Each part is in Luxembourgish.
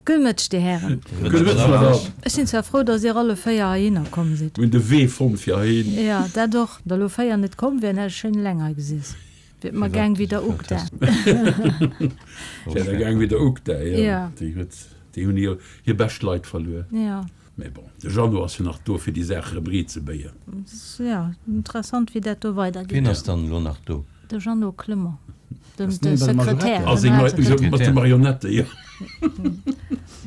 Gudde Mëtteg, Dir Hären. Gudde Mëtteg, Madame. Ech sinn zwar frou, dass Dir alle 4 heihinner komm sidd. Mir hunn de Wee fonnt fir heihin. Jo, dat och. Der elo 4 net komm wären, hätt ech schéin eleng hei gesiess. Wier et mer gaang wéi der Ugda. Wär der gaang wéi der Ugda, jo. Déi huet, déi hunn hir, hir bescht Leit verluer. Jo. Mee bon, de Jeannot ass jo nach do, fir déi Saach erëm riit ze béien. Jo, interessant, wéi dat do weidergeet. Wien ass dann elo nach do? De Jeannot Clement, de Sekretär. A seng mat de Marionette, jo.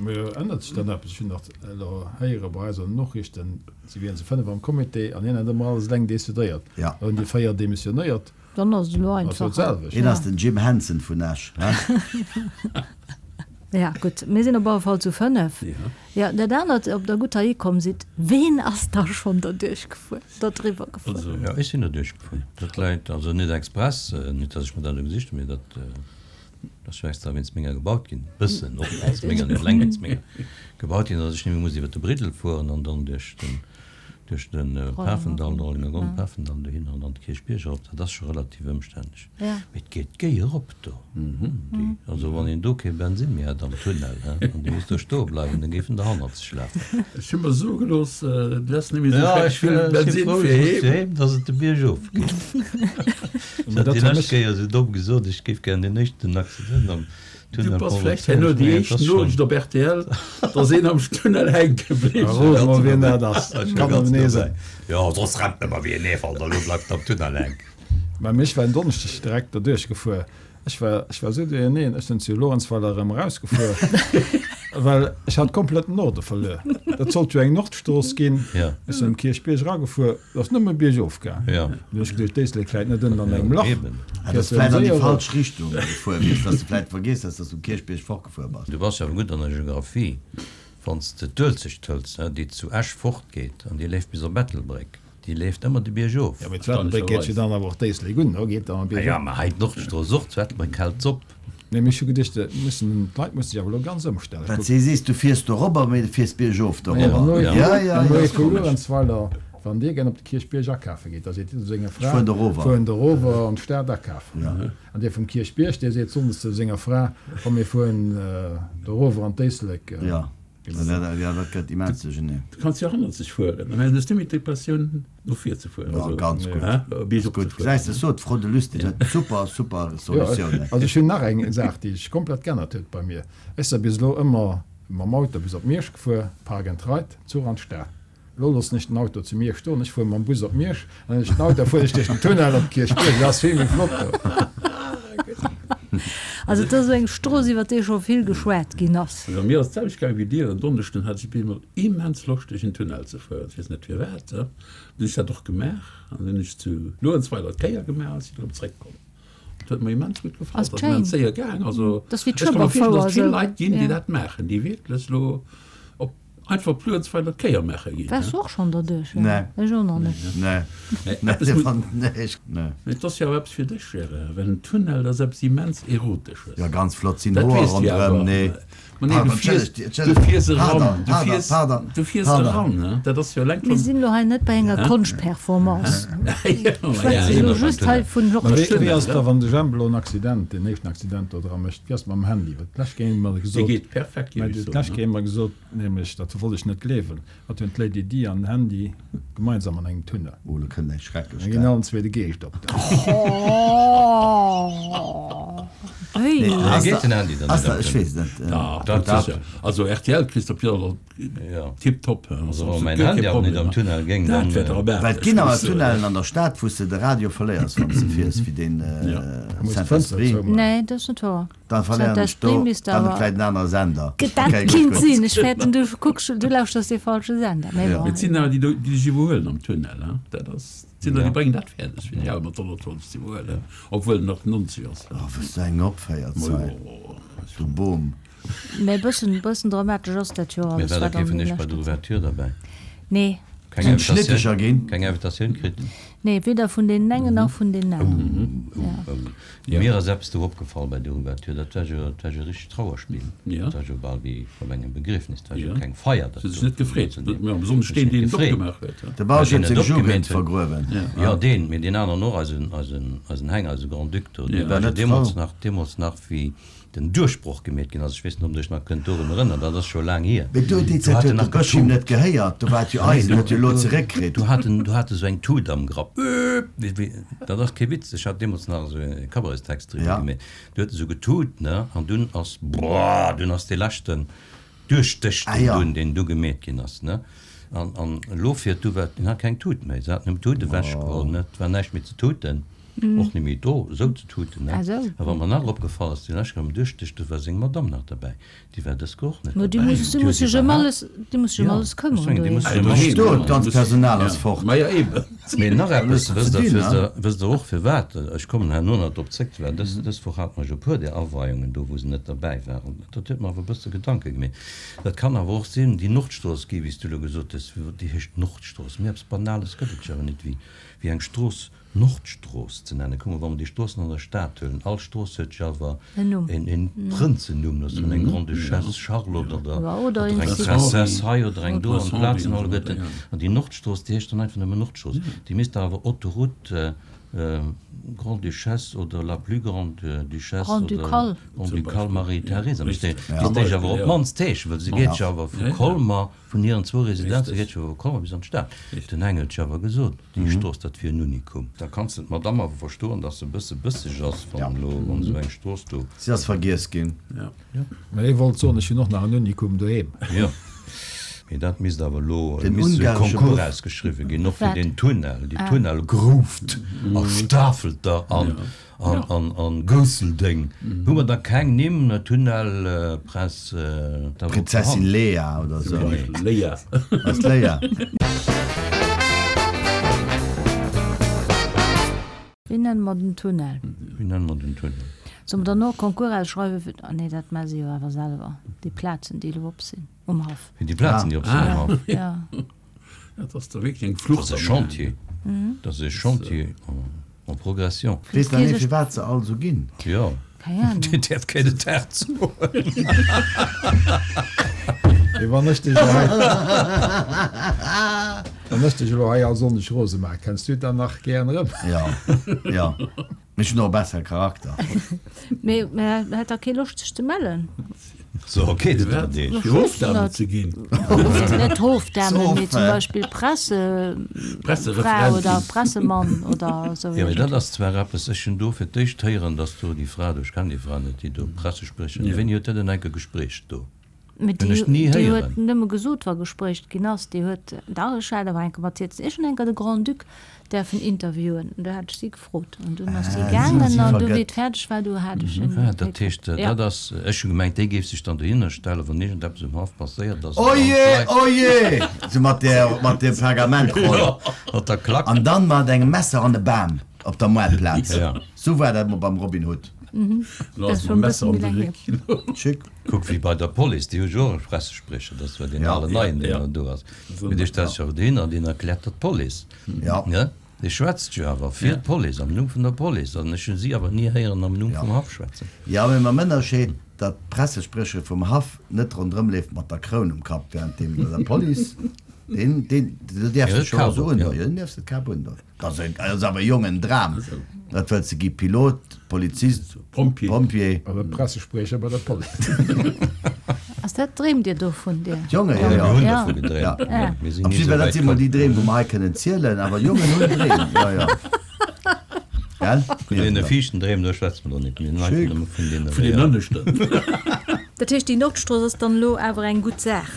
Mee ännert sech dann eppes? Ech hunn nach elo héiere bei eis an den Nochrichten, si wieren zu 5 am Comité an hien hätt ëmmer alles eleng decidéiert. Da hunn déi 4 demissionéiert. Dann ass et elo einfach. Hien ass den Jim Henson vun Esch, he? Ja, gutt, mir sinn op alle Fall zu 5. Jo, dat anert, ob Der gutt heihi komm sidd, ween ass da schonn derduerch gefuer, dodriwwer gefuer? Jo, ech sinn derduerch gefuer. Dat läit also net express, net datt ech mer dat elo gesicht hunn, mee dat ass jo extra wéinst menger gebaut ginn, bëssen och wéinst menger, net eleng wéinst menger gebaut ginn, datt ech net méi muss iwwer de Briddel fueren an dann duerch den Duerch de Pafendall, de Rollenger Gronn, Pafendall dohinner an dann de Kierchbierg erop, dat ass scho relativ ëmstänneg. Mee et geet géi erop do. Also wann een do kee Bensinn méi hätt am Tunnel, he, an dee misst do stoe bleiwen, da géif en der hannerzeg lafen. Ech hu mer soe gelooss, du häss net méi esou schreck vill Bensinn fir heem. Datt et de Bierg of geet. Ech hat déi lescht Kéier esou domm gesot, ech géif gären deen éischten Accident am Du bass vläicht herno déi éischt Noriicht op rtl, dass een am Tunnel hänke bliwwen ass. Rot mol wien dat ass, kann nëmmen ee sinn. Jo, soss rennt nëmmer wéi en Eefalt a lo bleift am Tunnel hänken. Mä ech war en Donneschdeg direkt derduerch gefuer. Ech war, ech war esou duerjerneen, ech sinn zu Luerenzweiler erëm erausgefuer, well ech hat komplett den Norde verluer. Dat sollt jo eng Nordstrooss ginn. Ech sinn um Kierchbierg eragefuer. Et ass nëmme biergof gaang. Dunn hunn ech geduecht, d'Éislek läit net ënnen an engem Lach. Ah, dass de vläit an déi falsch Richtung gefuer wiers, dass de vläit vergiess häss, dass du um Kierchbierg fortgefuer bass. Du bass jo awer gutt an der Geographie, wann s de d'Uelzecht hëls, déi zu Esch fortgeet an déi leeft bis op Ettelbréck, déi leeft ëmmer de Bierg of. Jo, mee zu Ettelbréck geet jo dann awer och d'Éislek un, do geet dann bierg op. Jo, mä hei d'Nordstrooss och, zu Ettelbréck hält s'op. Nee, mee ech hu geduecht, et mussen, d'Leit musse sech awer elo ganz ëmstellen. Wat si sees, du fiers dorobber, mee du fiers biergof dorobber. Jo, jo, jo, ass vu Luerenzweiler, wann dir gär op de Kierchbierg akafe gitt, da seet dir zu senger Fra, Ech fueren dorower. Fueren dorower an d'Stad akafen. An dee vum Kierchbierg, dee seet sonndes zu senger Fra, Komm, mir fueren dorower an d'Éislek. Jo. Ja, dat gëtt immens duercherneen. Du kanns jo hannerzeg fueren, dann hues du méi d'Impressioun no vir ze fueren. Ja, ganz gutt. Ganz gutt. Gesäis de, sot d'Fro, de Lustig huet super, super Solutiounen. Also ech hunn nach eng Saach, déi sech komplett geännert huet bei mir. Ech si bis elo ëmmer mam Auto bis op Miersch gefuer, Park and Ride, Zuch an d'Stad. Elo loossen ech den Auto zu Miersch stoen, ech fuere mam Bus op Miersch, an dann ech den Auto, fueren ech duerch den Tunnel op d'Kierchbierg. Dat ass vill méi flott do. Also et ass esou eng Strooss, iwwer déi scho vill geschwat ginn ass. Also mir ass et d'selwecht gaangen wéi dir. En Donneschden hat ech op eemol immens Loscht duerch en Tunnel ze fueren. Ech weess net firwat. Dann hunn ech dat och gemaach an dann hunn ech zu Luerenzweiler d'Kéier gemaach a sinn erëm zréckkomm. Dat huet mer immens gutt gefall. Ass Dat ass immens schéin. séier gaang. Also Dat ass wéi ech ka mer virstellen, d'Schueberfouer datt et vill esou. Leit ginn, déi dat maachen, déi wierklech elo op Einfach Pluenzweiler d'Kéier maache ginn. Waars du och schonn derduerch? Nee. Ech och nach net. Nee. Mee eppes muss. Nee, ech. Nee. Mee et ass jo awer eppes fir dech, Gérard, well en Tunnel, dat ass eppes immens Erotesches. Jo, ganz flott, sinn Dat Hoer weess du jo ronderëm, awer. nee. Ma nee, du Pardon, fiers, entschëllegt, du entschëllegt, fiers eran, pardon, du pardon, fiers, pardon, du fiers pardon. eran, ne? Dat ass jo eleng Mir schonn. sinn elo hei net bei enger Konschtperformance. Jo, Mir schwätze jo. elo just hei vun Mä wéi, Georges. wéi ass et da, wann de Jemp elo en Accident, deen éischten Accident do dra mécht, wéi ass et mam Handy? Well d'lescht Kéier hu mer Dee gesot, geet perfekt, mä géif ech soen, d'lescht ne? Kéier hu mer gesot, Nämlech, dat wollt ech net gleewen, hatt hunn d'Lady Di an den Handy gemeinsam an engem Tunnel. Oh, lo kënnt eng schrecklech Da ginn allen zwee de Geescht op. Wéi? Geet den Handy dann net am Ech weess et net. Dach, dat sécher. Also rtl kriss de op jidder Fall tiptop. Also wa mäin Handy awer net am Tunnel géing, dann. Dat wär dramatesch. Well et ginn awer Tunnellen an der Stad, wou s de de Radio verléiers, wann s de fiers, wéi deen Saint-Esprit. Nee, dat ass net wouer. Dann verléieren ech do, dann et vläit en anere Sender. Dat kinnt sinn, ech fäerten du kucks, du lauschters dee falsche Sender, mee bon. Et sinn awer déi do, déi dech iwwerhuelen am Tunnel, hein, dat ass, et sinn der, déi bréngen dat fäerdeg fir déi awer mat 120 ze iwwerhuelen, obwuel en nach 90 ass. Oh, wëss du eng opféiert hei, du Boom. Mee e bëssen, bëssen dramatesch ass dat jo Mee alles, war da wat kee an vun deem iech bei der leschten. Ouverture derbäi? Nee. Keng Sinn d'Schnittecher Invitatioun, ginn? keng Invitatioun kritt? Nee, weder vun deenen engen nach vun deenen aneren. Jo. Mir ass eppes do opgefall bei der Ouverture, dat war jo, dat war jo e richtegt Trauerspill. Dat war jo bal wéi op engem Begriefnis, dat war jo keng Feier. Dat huet sech net gefreet, besonnesch deen, deen et opgemaach huet. De Bausch huet seng Jugend vergruewen. Jo, deen, mee deen aneren och, eisen, eisen, eisen Heng, eise Grand-Duc do, dee war jo deemools nach, deemools nach wéi den Duerchbroch gemeet ginn ass, ech weess net, ob Der Iech nach kënnt dorun erënnern, dat ass scho laang hier. Mee do, déi Zäit huet de Bësch him net gehéiert, do war et jo eisen, huet jo elo zeréckkritt. Do hat en, do hat e sou eng Tut am Grapp, wéi, wéi, dat ass kee Witz, ech hat deemools nach esou e Cabaretstext driwwer gemeet, do huet e sou getut, ne, an dunn ass, boah, dunn ass dee leschten Duerchdësch, deen dunn, deen du gemeet ginn ass, ne, an, an elo fiert du, wat, en hat keng Tut méi, se haten him d'Tut ewechgeholl, ne, et war näischt méi ze tuten. Och net méi do esou ze tuten, ne? A wa mer nach opgefall ass, déi lescht Kéier um Duerchdësch, do war seng Madamm nach derbäi. Déi war dës Kéier och net derbäi. Déi muss sech ëm alles, déi muss sech ëm alles këmmeren doheem. Do, d'ganzt Personal ass fort. Ma jo, eben. Mee nach eppes, wësst Der, wësst Der, wësst Der och firwat, ech kommen herno nach drop zréck, well dës, dës Woch hate mer jo e puer där Aweiungen do, wou se net derbäi waren. Dat huet mer awer e bësse Gedanke gemeet. Dat kann awer och sinn, déi Nordstrooss gi, wéi s du elo gesot hues, déi heescht Nordstrooss. Méi eppes Banales gëtt et jo awer net wéi, wéi eng Strooss Nordstrooss ze nennen. Kuck mol, wa mer déi Stroossen an der Stad huelen, all Strooss huet jo awer en Prënzennumm, dat ass dann eng Grande-Duchesse Charlotte oder eng Princesse hei oder eng do an d'Plazen alleguerten. An déi Nordstrooss, déi heescht dann einfach nëmmen Nordstrooss. Déi misst da awer Autoroute Grande-Duchesse oder la plus grande Duchesse oder Grand-Ducale Marie-Thérèse, misst déi awer op d'mannst heeschen, well se geet jo awer vu Colmer, Vun hiren zwou Residenze geet jo komm bis an d'Stad. Den Heng huet jo awer gesot, déi Strooss, dat wier en Unikum. Da kanns de d'Madamm awer verstoen, datt se e bësse bësseg ass, wann elo, wann esou eng Strooss do. Si ass vergiess ginn. Mä ech wollt soen, ech hunn och nach en Unikum doheem. Jo, mee dat misst awer elo, et misst esou e Concours ausgeschriwwen ginn, och fir deen Tunnel, déi Tunnelgrouft a Stafelter an An Gousseldeng hu mer da keng Nimm, Tunnel, Press, Prinzessin Lea oder sou. Léa. Ass Léa. Wéi nenne mer den Tunnel? Wéi nenne mer den Tunnel? Solle mer dann och e Concours ausschreiwen fir, ah nee, dat maache se jo awer selwer, déi Plazen, déi elo op sinn um Haff. Fir déi Plazen, déi op sinn um Haff? Ja. Dat ass da wierklech eng Flucht. Dat ass e Chantier. Dat ass e Chantier en progression. Weess nach ee firwat se all sou ginn? Jo. Keng Ahnung. Dir däerft keen den Tag soen. Mee wann ech dech elo hei, wann ech dech elo hei all Sonndeg rose maachen, kenns du et dann nach gären erëm? Jo, jo. Mee ech hunn och e bessere Charakter. Mee hätt der kee Loscht sech ze mellen? So, okay, dat war dee. Fir Hofdame ze ginn. Net Hofdame, mee zum Beispill Pressefra oder Pressemann oder esou. Jo, mee dat ass zwar eppes, ech hunn do fir d'éischt héieren, datt do déi Fra do, ech kennen déi Fra net, déi do Pressespriecherin, wéini huet déi denn enke gesprécht do? Mee déi déi huet nëmme gesot, wa gesprécht ginn ass. Déi huet, dach, ech hat awer enke mat hir, ech hunn enker de Grand-Duc däerfen interviewen an du hat ech si gefrot an dunn ass si gaangen an du wéi et fäerdeg war, du hat ech en. Ah, dat heescht, dat ass, ech hu gemengt, déi géif sech dann dohinner stellen, wann iergendeppes um Haff passéiert ass. Oje, oje! Sou mat där, mat deem Pergamentroll. Mat der Klack. An dann mat engem Messer an e Bam op der Moartplaz. Sou war dat mol beim Robin Hood. Lo ass mam Messer an de Réck. Chic. Kuck wéi bei der Police, déi hu jo och e Pressespriecher, dat ass zwar deen alen neien, deen elo do ass, mee dee stellt sech awer dohinner an deen erkläert der d'Police. Ne? Dee schwätzt jo awer fir d'Police, am Numm vun der Police. An ech hu si awer ni héieren am Numm vum Haff schwätzen. Jo, mee mam Ënnerscheed, datt d'Pressespriechere vum Haff net ronderëm leeft mat der Kroun um Kapp, während dee bei der Police, deen, deen, do däerfs de scho esou undoen, jo, deen däerfs de d'Kap undoen. Dat ass awer Jong en Dram. Wat wëlls de gi? Pilot, Polizist, Pompjee? Oder Pressespriecher bei der Police. Ass dat, dreemt Dir dovun, Dir? D'Jonge, jo, jo. Mir hunn dovun gedreemt. Mir sinn ni esou Dat wäit si mol komm. déi Dreem, wou mer hei kënnen zielen. Awer Jongen hunn Dreem, jo, jo. Gell? Vun deene viischten Dreem, do schwätze mer do net. Mir hunn einfach nëmme vun deene Vun den reellen. ënneschten. Dat heescht, déi Nordstrooss ass dann elo awer eng gutt Saach?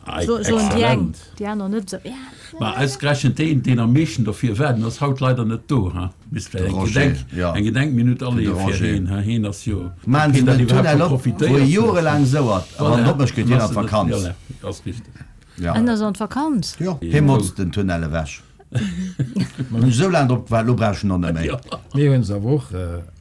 Ei, Soen déi eng, exzellent. déi aner net esou. Ma ausgerechent deen, deen am meeschten derfir war, den ass haut leider net do, ha? Misst vläicht eng Gedenk, eng Gedenkminutt aleeë fir heen, ha? Heen ass jo, Maachen se heen dat den iwwerhaapt Tunnel scho op, wou profitéiert e huet. jorelaang souert, a wann Voilà, en op mécht, geet dann hien an ass en net, d'Vakanz. voilà, ass richteg. Ja. En ass an d'Vakanz? Jo, hie motzt den Tunnel ewech. Hunn ech esou laang drop gewaart, elo brauch ech en och net méi. Mir hunn se awer och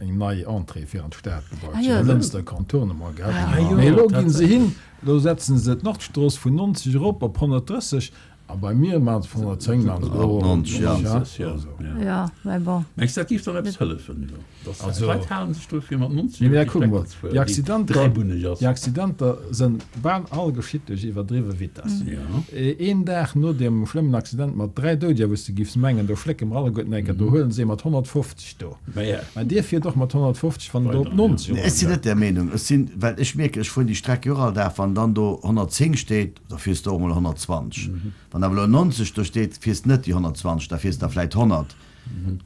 eng nei Entrée fir an d'Stad gebaut, Ah jo. de Lënster Contournement gehat. Ah jo, Mee elo ginn se tatsächlech. hin, elo setzen se d'Nordstrooss vun 90 erop op 130. A bei mir maachen se vun 110 maachen se och 90, ja. Ja, mä bon. Mengs de dat géif dann eppes hëllefen do, dass Also, d'Leit halen sech dru fir mat 90 nee, iwwer mä déi kuck Streck mol, ze fueren, déi déi Accidenter, dräibunneg ass? déi Accidenter sënn bal all geschitt duerch iwwerdriwwe Vitess. Ja. Een Dag no deem schlëmmen Accident mat 3 Doudeger, wou s de giffs mengen, do schlécke mer alleguerten eng Kéier, do huelen se ee mat 150 do. Mä ja. Mä dir fiert och mat 150, wann en do op Weider, ja. 90 Nee, ech sinn net där Meenung. Ech sinn, well ech mierken, ech fueren déi Streck jo och all Dag, wann dann do 110 steet, da fiers de och mol 120. Wann awer elo 90 do steet, fiers de net déi 120, da fiers de der vläit 100.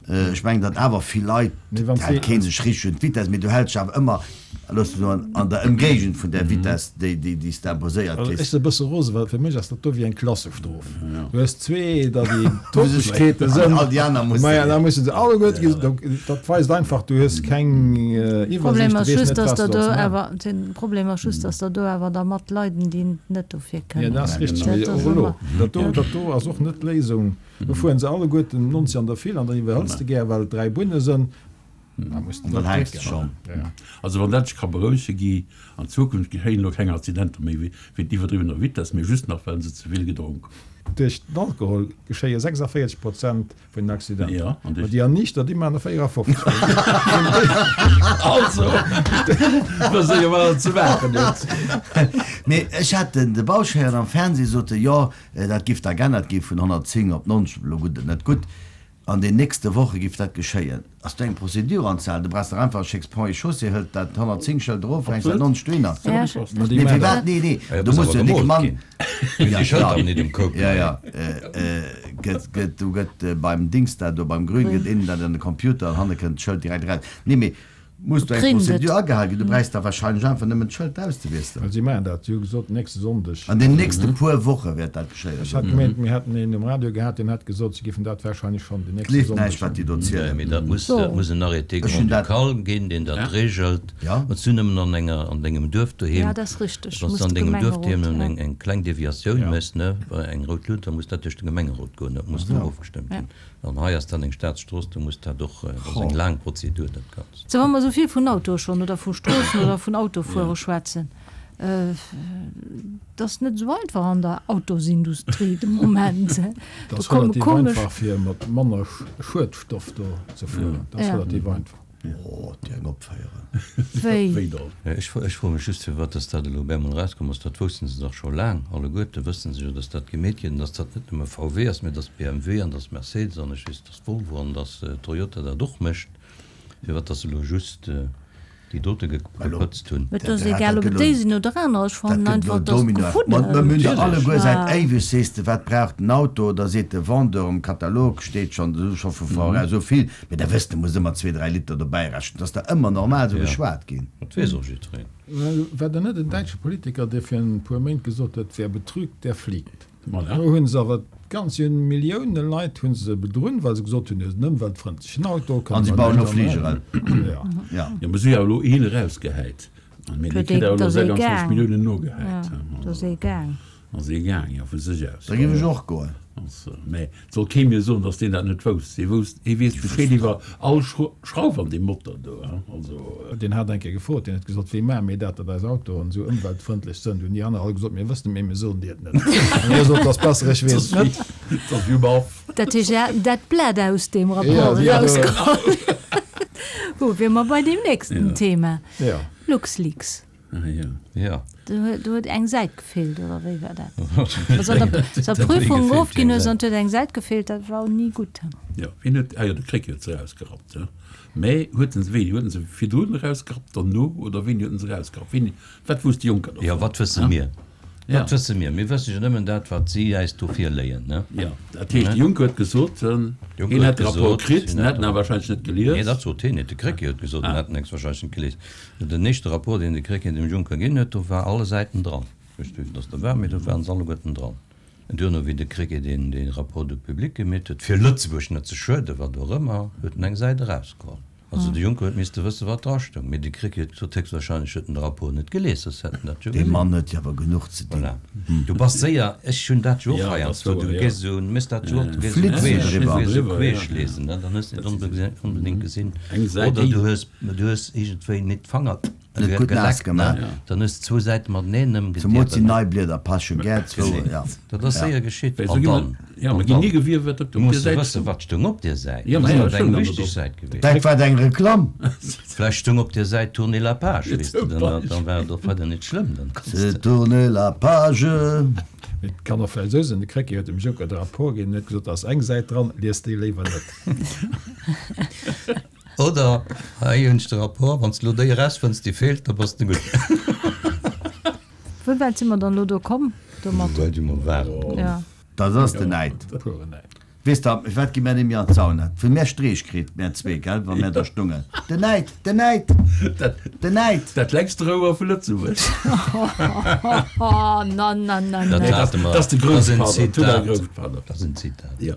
Ech mengen, datt awer vill Leit, et hält kee sech richteg un d'Vitesse, mee du häls dech awer ëmmer, looss mech soen, an der Ëmgéigend vun där Vitesse, déi déi s de imposéiert Also ech kriss. si e bësse rose, well fir mech ass dat do wéi eng Klassestrof. Du hues zwee, da déi Topegkeete sënn, All déi aner mussen. maja, da musse se alleguerte gesi. Donc dat weist einfach, du hues keng Iwwersiicht, Problem du ass weess just, net, dass wat der du do solls maachen. awer, den Problem ass just, dass der do awer da mat leiden, déi net dofir Ja, kënnen. dat ass richteg, Dat mee ass och elo, ëmmer. dat do, dat do ass och net d'Léisung. Do fueren se alleguerten 90 an der Vill an dann iwwerhëls de gär, well et 3 Bunne sënn. Da muss de Dann dat hänks de drécken. schonn. Ja. Also wann dat sech ka berouege gi, an Zukunft geschéien elo keng Accidenter méi wéint iwwerdriwwener Vitess, mee just nach well se ze vill gedronk hunn. Duerch den Alkohol geschéie 46 Prozent vun den Accidenter. Ja, an Ma duerch. déi Erniichter, déi maachen der 54. Also, wëss ee jo wat der ze maachen huet. Mee ech hat den de Bausch héieren am Fernseh sot e, jo, Dat giff da g'ännert gi vun 110 op 90, elo gutt et net gutt, an den nächste Woche giff dat geschéien. Ass do eng Procédure anzehalen? Du brauchs dach einfach, schécks Ponts et Chaussées, hëlt dat 110 Schëld erof, hänks dat 90 dohinner. Nee, firwat? Nee, nee, do muss jo dee Mann, Ja, ja, ja, gëtt, gëtt, do gëtt beim Dings dat do, beim Grün gëtt een dat an de Computer an hanne kënnt d'Schëld direkt eraus. Nee, mee Muss do eng Prozedur agehal ginn? Du bräichs da wahrscheinlech einfach nëmmen d'Schëld auszewiesselen. Si maachen dat, si hu gesot, nächste Sonndeg. An den nächste puer Woche wäert dat geschéien. Ech hat gemengt, mir hätten een um Radio gehat, deen hätt gesot, si géifen dat wahrscheinlech schonn den nächste Gleeft Sonndeg. näischt, wat déi do zielen. Mee dat muss, dat muss en Arrêté grand-ducal ginn, deen dat regelt. Wann s du nëmmen an enger, an dengem Duerf doheem, Ja, dat ass richteg. wann s Muss du an de dengem Duerf Gemengerot, doheem ja. eng, eng kleng Deviatioun méchs, ne, bei eng rout Luut, da muss dat duerch de Gemengerot goen, dat muss do ofgestëmmt ginn. An hei ass dann eng Staatsstrooss, do muss dat och, dat ass eng laang Prozedur, dat Ganzt. Sou, wa mer esou vill vun Autoe schonn oder vu Stroossen oder vun Autofuere schwätzen, et ass net esou einfach an der Autosindustrie de Moment. Et ass relativ einfach, fir mat manner Schuedstoff do ze fueren. Dat ass relativ einfach. Oh, déi eng opféieren. Wéi? Wéi dann? Ech froe mech just, firwat dass dat elo op eemol erauskomm ass. Dat woussten se dach scho laang alleguerte, wësse se jo, dass dat gemeet gëtt an dass dat net nëmme VW ass, mä dass BMW an dass Mercedes an ech weess, dass Volvo an dass Toyota dat och mécht. Firwat dass se elo just déi dote gepëtzt hunn. Et ass egal, ob et déi sinn oder aner. Ech fannen einfach, dass gefuddelt. Mir hunn der alleguer säit éiweg, sees de, wat brauch den Auto? Da seet de Vendeur, um Katalog steet schonn, scho vu voraus esou vill. Mee da wëss de, muss ëmmer zwee, dräi Liter dobäi rechnen. Et ass der ëmmer normal esou geschwat ginn. Dat weess och jiddwereen. War der net en däitsche Politiker, dee fir en puer Méint gesot huet, Wer betrügt, der fliegt? Do hu se awer ganz, si hunn Millioune Leit hu se bedrunn, well se gesot hunn, et ass en ëmweltfrëndlechen Auto. An si bauen elo Fligeren. Jo, mee si hu jo elo een erausgehäit. Mee dee kritt awer elo 26 Milliounen nogehäit. Do ass ee gaang. Ass ee gaang, jo, vu sech aus. Da géif ech och goen. Mä et soll kee mir soen, datt deen dat net wousst. Hie wousst, hie weess Bescheed iwwer all Schrauf an deem Motor do, hein. Also. Deen hat eng Kéier gefrot, deen huet gesot, Wéi maache mir dat, datt eis Autoen esou ëmweltfrëndlech sënn? Hunn déi aner all gesot, Mir wëssen et, mee mir soen dir et net. An hie sot, Et ass besser, ech weess et net. Dat ass wéi um Haff. Dat heescht, se haten dat Blat aus deem Rapport erausgeholl. Wou wier mer bei deem nächsten Thema, LuxLeaks. Ah jo. Ja. Do huet eng Säit gefeelt, oder wéi war dat? Also an der Prüfung ofginn hues an et huet eng Säit gefeelt, dat war ni gutt. Jo, wien huet, ah jo, de Krecké huet se erausgerappt, jo. Mä huet en se, wéini huet en se virdrun erausgerappt, derno, oder wéini huet en se erausgerappt? Wéini, wat wousst de Juncker dovun? Jo, wat wësse mir? Wat wësse mir? Mir wësse jo nëmmen dat, wat si äis do virléien, ne? Jo, dat heescht, de Juncker huet gesot, hien hätt de Rapport kritt, en hätt en awer wahrscheinlech net gelies. Nee, dat sot hien net. De Krecké huet gesot, en hätt en héchstwahrscheinlech net gelies. Den éischte Rapport, deen de Krecké dem Juncker ginn huet, do war alle Säiten dran. Ech weess net, wéivill dass der waren, mee do waren se alleguerten dran. An duerno, wéi de Krecké deen dee Rapport do public gemeet huet, fir Lëtzebuerg net ze schueden, wat och ëmmer, huet en eng Säit erausgeholl. Also de Juncker huet misste wëssen, wat drastoung. Mee de Krecké huet gesot, héchstwahrscheinlech huet en de Rapport net gelies, soss hätt en dat jo Dee gesinn. Mann huet jo awer genuch ze dinn. Voilà. Du bass séier, ech hunn dat jo och heiansdo, du gees esou, méchs dat jo och, du gees esou queesch, du gees esou queesch lesen, ne, dann hues de net onbedéngt gesinn. Oder du hues, du hues iergendwéi net d'Fanger. Net gutt naass gemaach. Dann hues de zwou Säite mateneen ëmgediebelt. Zemools déi nei Blieder pasche gär zwou, ja. Dat ass séier geschitt. An dann, an dann, du muss jo wëssen, wat stoung op där Säit. Dat ass eng wichteg Säit gewiescht. Dat war eng Reklamm. Vläicht stoung op där Säit Tournez la page, weess de, dann war et och weider net schlëmm. Dann kanns de. Tournez la page. Et kann och vläicht esou sinn, de Krecké huet dem Juncker de Rapport ginn, en huet gesot, da ass eng Säit dran, liest déi léiwer net. Oder, hei hunn ech de Rapport, wann s de elo déi erausfënns, déi feelt, da bass de gutt. Wéi wäit si mer dann elo do komm domat? Wéi wäit mer waren komm? Ja. Dat ass den Näid. Weess der, firwat gi mär net méi an d'Sauna? Well mär Streech kritt, mär zwee, gell, wa mär do stungen. Den Näid! Den Näid! Den Näid! Dat längst Rouer vu Lëtzebuerg. Oh, na, na, na, na. Dat hate mer. Dat ass de Grousspater. Dat ass en Zitat. Ja.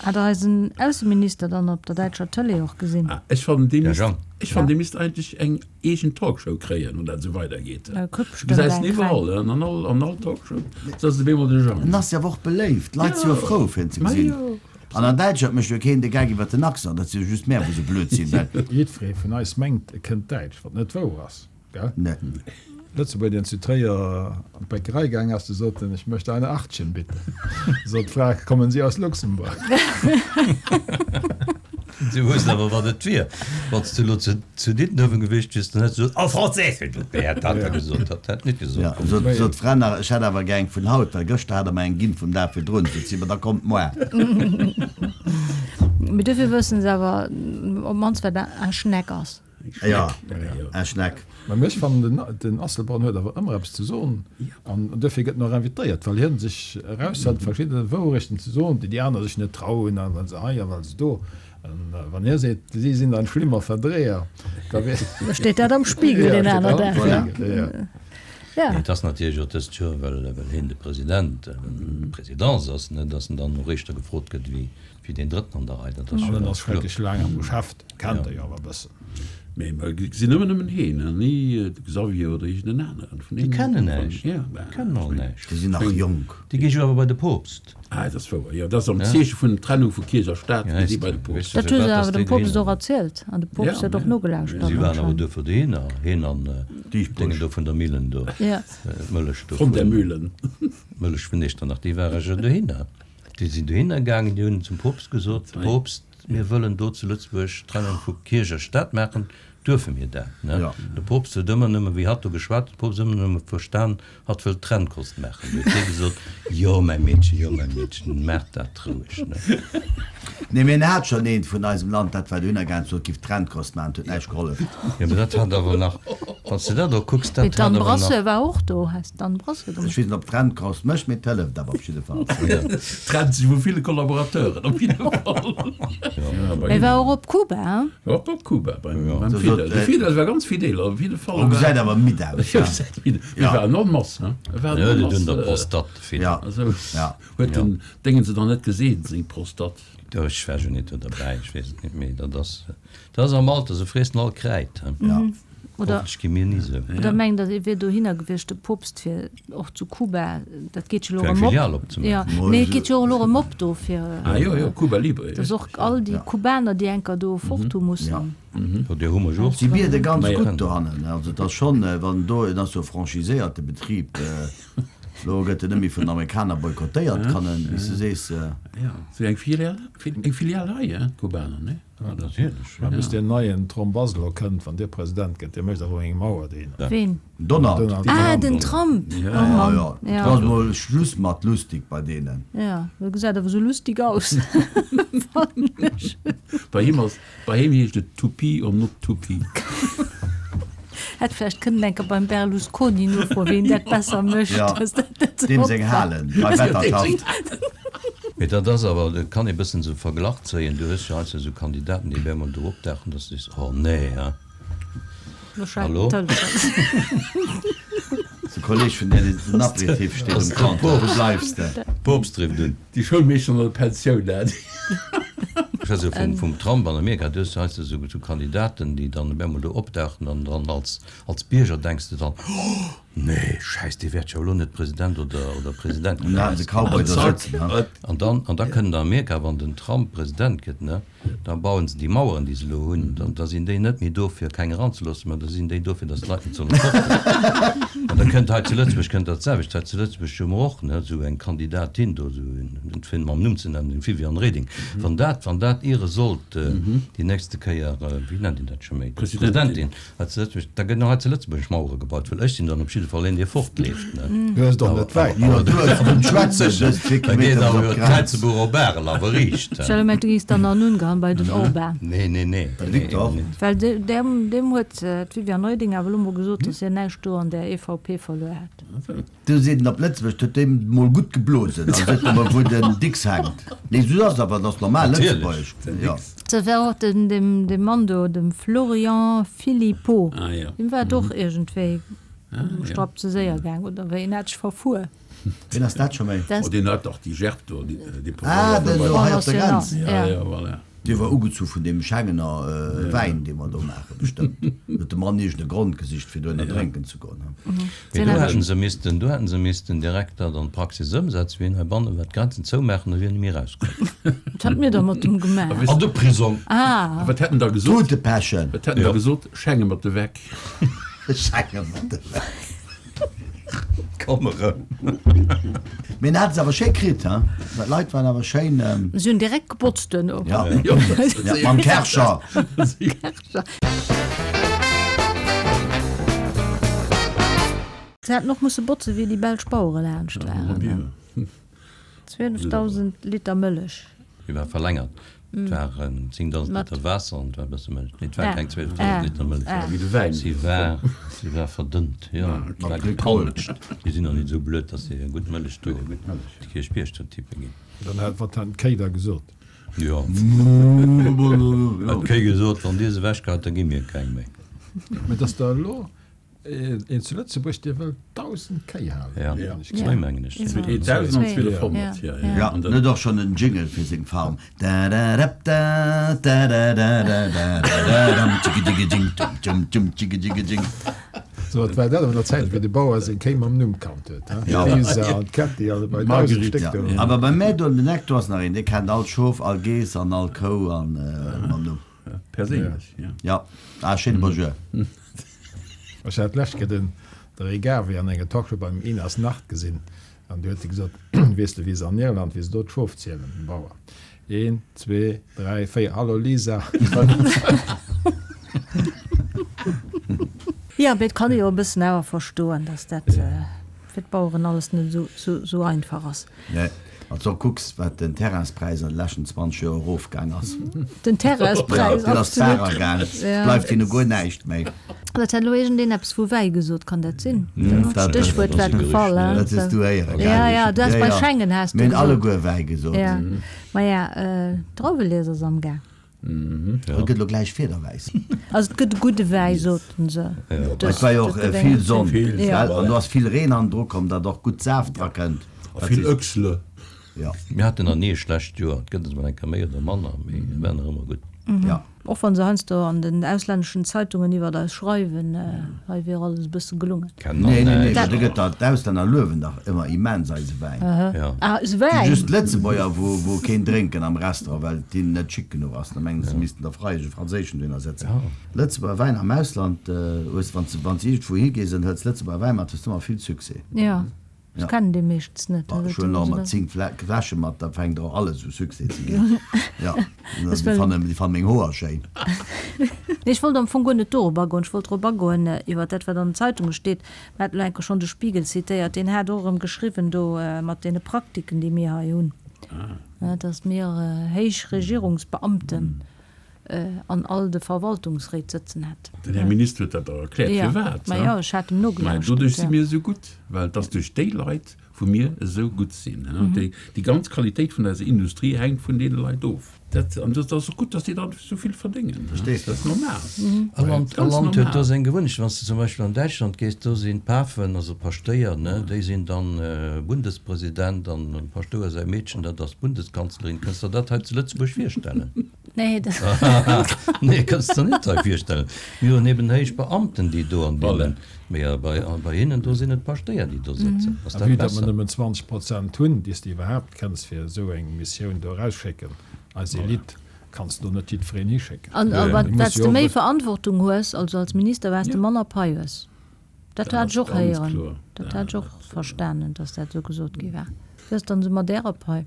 Hat der eisen Ausseminister dann op der däitscher Tëlee och gesinn? Ah, ech fannen, dee misst, ech fannen, dee misst eigentlech eng eegen Talkshow kréien, wann dat esou weidergeet. E kritt Du bestëmmt gesäis eng en iwwerall, kleng. an all, an all Talkshow ass et op eemol de Jang. En ass jo awer och beléift, d'Leit si jo frou, fir en ze Ma gesinn. jo, An an Däitschland mécht jo keen de Gag iwwer den Accent, dat si jo just mär, wou se blöd sinn, well. Jiddweree vun eis mengt, e kënnt Däitsch, wat net wouer ass. Gell? Nee. Lëtzebuerger, deen zu Tréier an d'Bäckerei gaang ass, de sot en, Ich möchte eine Achtchen, bitte. Sot d'Fra, Kommen Sie aus Luxemburg? Si woussten awer, wat et wier. Wann s du elo zu Diddenuewen gewiescht wiers, dann häss du gesot, En français, s'il vous plaît, hätt dat da gesot. Dat hätt net gesot. Ja, sot, sot d'Fra nach, ech hätt awer gär eng vun haut, well gëschter hat der mer eng ginn vum Dag virdrun. Sot si, Ma da kommt moar. Mee dofir wëssen se awer op d'mannst, wat eng Schneck ass. Jo, eng Schneck. Mä ech fannen, den Asselborn huet awer ëmmer eppes ze soen an duerfir gëtt en och invitéiert, well hien sech eraushält, verschidde Wourechten ze soen, déi déi aner sech net trauen, a well se hei a well se do. An wann hie seet, si sinn ein schlimmer Verdreher, da wier. Da steet dat am Spiegel deen aner Dag. Voilà. Ja. Et ass natierlech och dëst Joer, well hien de President, d'Presidence ass, ne, datt en dann och éischter gefrot gëtt wéi Wéi deen drëtten an der Rei, dat ass jo ganz kloer. An en ass schrecklech laang am Geschäft, kennt e jo awer e bëssen. Mee mer gesinn ëmmer nëmmen heen an ni de Xavier oder iergend en aneren vun Déi kennen näischt, déi kennen all näischt. Déi sinn nach jonk. Déi gi jo awer bei de Poopst. Ah, dat ass wouer, jo. Dat ass am Zeeche vun Trennung vu Kierch a Staat, gi si bei de Poopst. Dat hu se awer dem Poopst och erzielt an de Poopst huet och nogelauschtert Si waren awer anscheinend. duerfir dohinner, heen an Déngen do vun der Millen do, d'Mëllech do Von der Mühlen. D'Mëllech vun Echternach, déi ware jo dohinner. Déi sinn dohinner gaangen, déi hunn zum Poopst gesot, Poopst, mir wëllen do zu Lëtzebuerg d'Trennung vu Kierch a Staat maachen, duerfe mir dat? De Poopst huet ëmmer nëmme, wéi hatt do geschwat huet, de Poopst ëmmer nëmme verstan, hatt wëllt Trennkost maachen. Du huet hie gesot, Jo, mäi Meedchen, jo, mäi Meedchen, maach dat roueg. Nee, mee en hat schonn eent vun eisem Land, dat war dohinner gaangen, sot, giff Trennkost maachen, et huet näischt gehollef. Jo, mee dat hat awer nach, wann s de dat och kucks, Mee dat hat d'Anne awer nach. Brasseur war och do, has d'Anne Brasseur Ech weess net, ob Trennkost mécht, mee et hëlleft awer op jidde Fall. Trennt sech vu ville Kollaborateuren op jidde Fall. Mee war och op Kuba, hein? War och op Kuba beim Fidel. De Fidel war ganz fidel, op jidde Fall. O gesäit awer midd aus, hein? Gesäit midd aus. Mee war en masse, hein? E war en masse. Jo, der Prostate, de Fidel. Ja. Huet den Déngen se dann net gesinn, seng Prostate? Jo, ech war jo net do derbäi, ech weess et net méi. Dat ass, dat ass am Alter, se friessen all Kräid, he. Ja. Oder, Hoffentlech gi mir ni sou. oder mengt der, e wier dohinner gewiescht, de Poopst, fir och zu Kuba, dat geet jo elo Fir eng erëm op. Filial opzemaachen. Ja, nee, et geet jo och elo erëm op do fir. Ah jo, jo, Cuba Libre, Dass och all déi Kubaner, déi enker do fort hu mussen. Jo, déi hu mer jo och. Si biede ganz gutt dohannen, also et ass schonn, wann do, et ass jo e franchiséierte Betrib, Lo gëtt en net méi vun den Amerikaner boykottéiert, kann en, wéi s du sees. Jo, sou eng Filial, eng Filial hei, hein, d'Kubaner, ne? Ja, natierlech. Mä bis deen neien Trump ass elo kënnt, wann dee President gëtt, dee mécht awer eng Mauer dohinner. Ween? Donald. Ah, den Trump! Ja, Oh Mann, ja. ja. Do ass mol Schluss mat lustig bei deenen. Ja, dat gesäit awer sou lustig aus, fannen ech. Bei him ass, bei him heescht et to pee or not to pee. Hätt vläicht kënnen enker beim Berlusconi nofroen, ween dat besser mécht. Ja, deem seng Halen bei Wettertaft. Mee dat ass awer, et kann ee bëssen esou Verglach zéien, du hues jo heiansdo esou Kandidaten, déi op eemol do opdauchen, dass du sees, oh nee, hein, hallo? De Kolleg vun där, deen den Aperitif steet um Comptoir, wou bleifs de? Poopst rifft un. Déi Schoulmeeschter an der Pensioun, dat. Ech schwätze jo vum Trump an Amerika, du hues jo heiansdo esou Kandidaten, déi dann op eemol do opdauchen an dann als Bierger denks de dann, oh! Nee, Schäiss, dee wäert jo elo net President oder, oder President An da haten se Cowboy do sëtzen, ha? An dann, an da kënnt an Amerika, wann den Trump President gëtt, ne, da bauen se déi Maueren, déi se elo hunn, dann, da sinn déi net méi do fir keng eranzeloossen, mä da sinn déi do fir datt d'Leit net solle fortgoen. An da kënnt hei zu Lëtzebuerg kënnt dat selwecht. Hei zu Lëtzebuerg hu mer och, ne, esou eng Kandidatin do, esou en, net fir mam Numm ze nennen, den Viviane Reding. Wann dat, wann dat iere sollt déi nächste Kéier, wéi nennt een dat scho méi, Presidentin, Hei zu Lëtzebuerg, da gëtt nach hei zu Lëtzebuerg Mauere gebaut, well ech sinn dann op jidde Fall een, dee fortleeft, ne? Du hues och net wäit. Jo, du hues vum Schwätzen just 4 Da geet Kilometer bis awer op jo d'Grenz. d'Kräizebuch op Arel awer riicht, Ech hat gemengt, du géings dann an Ungarn bei den Orban. Nee, nee, nee. Bei de Viktor. Nee, nee. Well deem huet d'Viviane Reding awer elo mol gesot, datt hien näischt do an där EVP verluer hätt. Du seet en op Lëtzebuerg, huet deem mol gutt geblosen, an seet emol wou den Dicks hänkt. Nee sou ass awer, dat ass normal Lëtzebuergesch, jo. Se war och den deem Mann do, dem Florian Philippot, deem war et och iergendwéi um Strapp ze séier gaang, oder wéi, en hat sech verfuer. Ween ass dat scho méi? Oh deen hat dach déi Gerb do, déi Ah, den do hei op der Grenz. Ja, ja, voilà. Dee war ugezu vun deem Schengener Wäin, dee mer do maachen, bestëmmt. Huet de Mann iergend e Grond gesicht, fir dohinner drénken ze goen. Mee do hätten se missten, do hätten se missten direkt dat an d'Praxis ëmsetzen, wien heibanne war, d'Grenzen zoumaachen a wien net méi erauskënnt. Wat hat mir da mat dem gemaach? An de Prisong! Ah! A wat hätt en da gesot? Tutepechen! Wat hätt en da gesot? Schenge mat de Weck. Schenge mat de Weck. Komm erëm. Mee en hat se awer schéi kritt, he? D'Leit waren awer schéin. Si hunn direkt gebotzt duerno. Ja, ja, mam Kärcher. Se hätten och musse botze wéi déi belsch Bauere laanscht waren. 12.000 Liter Mëllech. Déi war verlängert. Et waren 10.000 Liter Waasser an et war e bësse Mëllech. Nee, et war keng 12.000 Liter Mëllech. Si war, si war verdënnt, jo. Et war gepanscht. Déi sinn och net esou blöd, datt se hir gutt Mëllech do op de Kierchbierg do tippe ginn. Dann hat, wat han d'Kéi da gesot? Jo. Hat d'Kéi gesot, wann Dir se ewechgeheit, da gi mir keng méi. Mä et ass der elo Een zu Lëtzebuerg, dee wëll 1.000 Kéi halen. Ja, zwéi mengen ech. 1.200, ja. Ja, en huet och schonn en Jingle fir seng Farm, Dadadapdatadadadadadadam-tschiggijiggijing-dum-dum-dum-tschiggijiggijing. Sou, et war dat an der Zäit, wéi de Bauer seng Kéi mam Numm kannt huet, he? D'Lisa an d'Kätti an bei 1.000 Stéck do. Awer beim Mädo an den Eck, do ass nach een, dee kennt all Schof, all Geess an all Kou an mam Numm. Perséinlech, ja. Ja, ah, schéine Bonjour. Ech hat d'lescht Kéier den de Ray Garvey an enger Talkshow beim Inas Nacht gesinn an du huet e gesot, Weess de wéi se an Irland, wéi se do d'Schof zielen, den Bauer, een, zwee, dräi, véier, hallo Lisa. Jo, mee et kann ee jo e bëssen awer verstoen, datt dat fir d'Baueren alles net esou einfach ass. Nee, wann s de och kucks, wat den Terrainspräis an de leschten 20 Joer erofgaang ass. Den Terrainspräis, absolut. Deen ass d'Bar agaang. Et bleift hinne guer näischt méi. Dat hat elo iergendeen eppes vu Wäi gesot, kann dat sinn? D'Stéchwuert war gefall, hein? Dat hues du héieren, gell? Ja, ja, du has bei Schengen has du gesot. Mir hunn alleguer Wäi gesot. Ja, maja, d'Drauwelies ass amgaang. Et gëtt elo gläich Fiederwäiss. Also et gëtt e gudde Wäi, soten se. Et war jo och vill Sonn, gell? An do ass vill Reen hannendru komm, datt och gutt Saaft dra kënnt. A vill Öchsle. Jo. Mir haten nach ni e schlecht Joer. Et gëtt es mol eng Kéier méi oder manner, mee et war nach ëmmer gutt. Jo. Och wann se heiansdo an den auslänneschen Zeitungen iwwert eis schreiwen, hei wier alles e bësse gelungen. Nee, nee, nee, do gëtt der, d'Auslänner luewen dach ëmmer immens eise Wäin. Ah, eise Wäin? Si just d'Lëtzebuerger, wou, wou keen drénken am Restaurant, well et hinnen net chic genuch ass. Da mengen se, se missten der freiesch e franséischen dohinner setzen. Lëtzebuerger Wäin am Ausland, hues, wann s de, wann s de iergendwou higees an hëls Lëtzebuerger Wäin mat, hues de ëmmer vill Succès. Jo. Ech kennen dee meeschtens net. Ech huelen och ëmmer 10 Fläsche mat, da fänkt och alles u Succès ze ginn. Jo, déi fannen déi fanne meng Hoer schéin. Nee, ech wollt am Fong guer net dorop agoen. Ech wollt drop agoen iwwer dat, wat an den Zeitunge steet. Mir haten elo eng Kéier schonn de Spiegel zitéiert, deen hat och erëm geschriwwen do mat deene Praktiken, déi mir hei hunn, dass mir héich Regierungsbeamten an all de Verwaltungsréit sëtzen hätt. Den Här Minister huet dat och erkläert, firwat. Ma jo, ech hat em nogelauschtert. Mä doduerch si mir esou gutt, well et ass duerch déi Leit, wou mir esou gutt sinn. Déi ganz Qualitéit vun eiser Industrie hänkt vun deene Leit of. Dat, an dat ass och gutt, datt déi dann esou vill verdéngen. Verstees de? Dat ass normal. All Land, all Land huet do seng Gewunnechten. Wann s de zum Beispill an Däitschland gees, do sinn d'Pafen, also d'Paschtéier, ne, déi sinn dann Bundespresident an dem Paschtouer säi Meedchen, dat ass d'Bundeskanzlerin. Kënns der dat hei zu Lëtzebuerg virstellen? Nee, dat. Nee, kënns der net hei virstellen. Mir hunn eben héich Beamten, déi do an deenen, mee bei, bei hinnen do sinn et d'Paschtéier, déi do sëtzen. Ass A dat vue datt mer besser? nëmmen 20 Prozent hunn, déi s de iwwerhaapt kenns fir esou eng Missioun do erausschécken, eis Elite, kanns de do net jiddwereen hischécken. An wat s de méi Verantwortung hues, also als Minister, wat s de manner Pai hues. Dat hat ech och héieren, dat hat ech och verstanen, datt dat esou gesot gi war. Wéi ass dann esou mat Ärer Pai?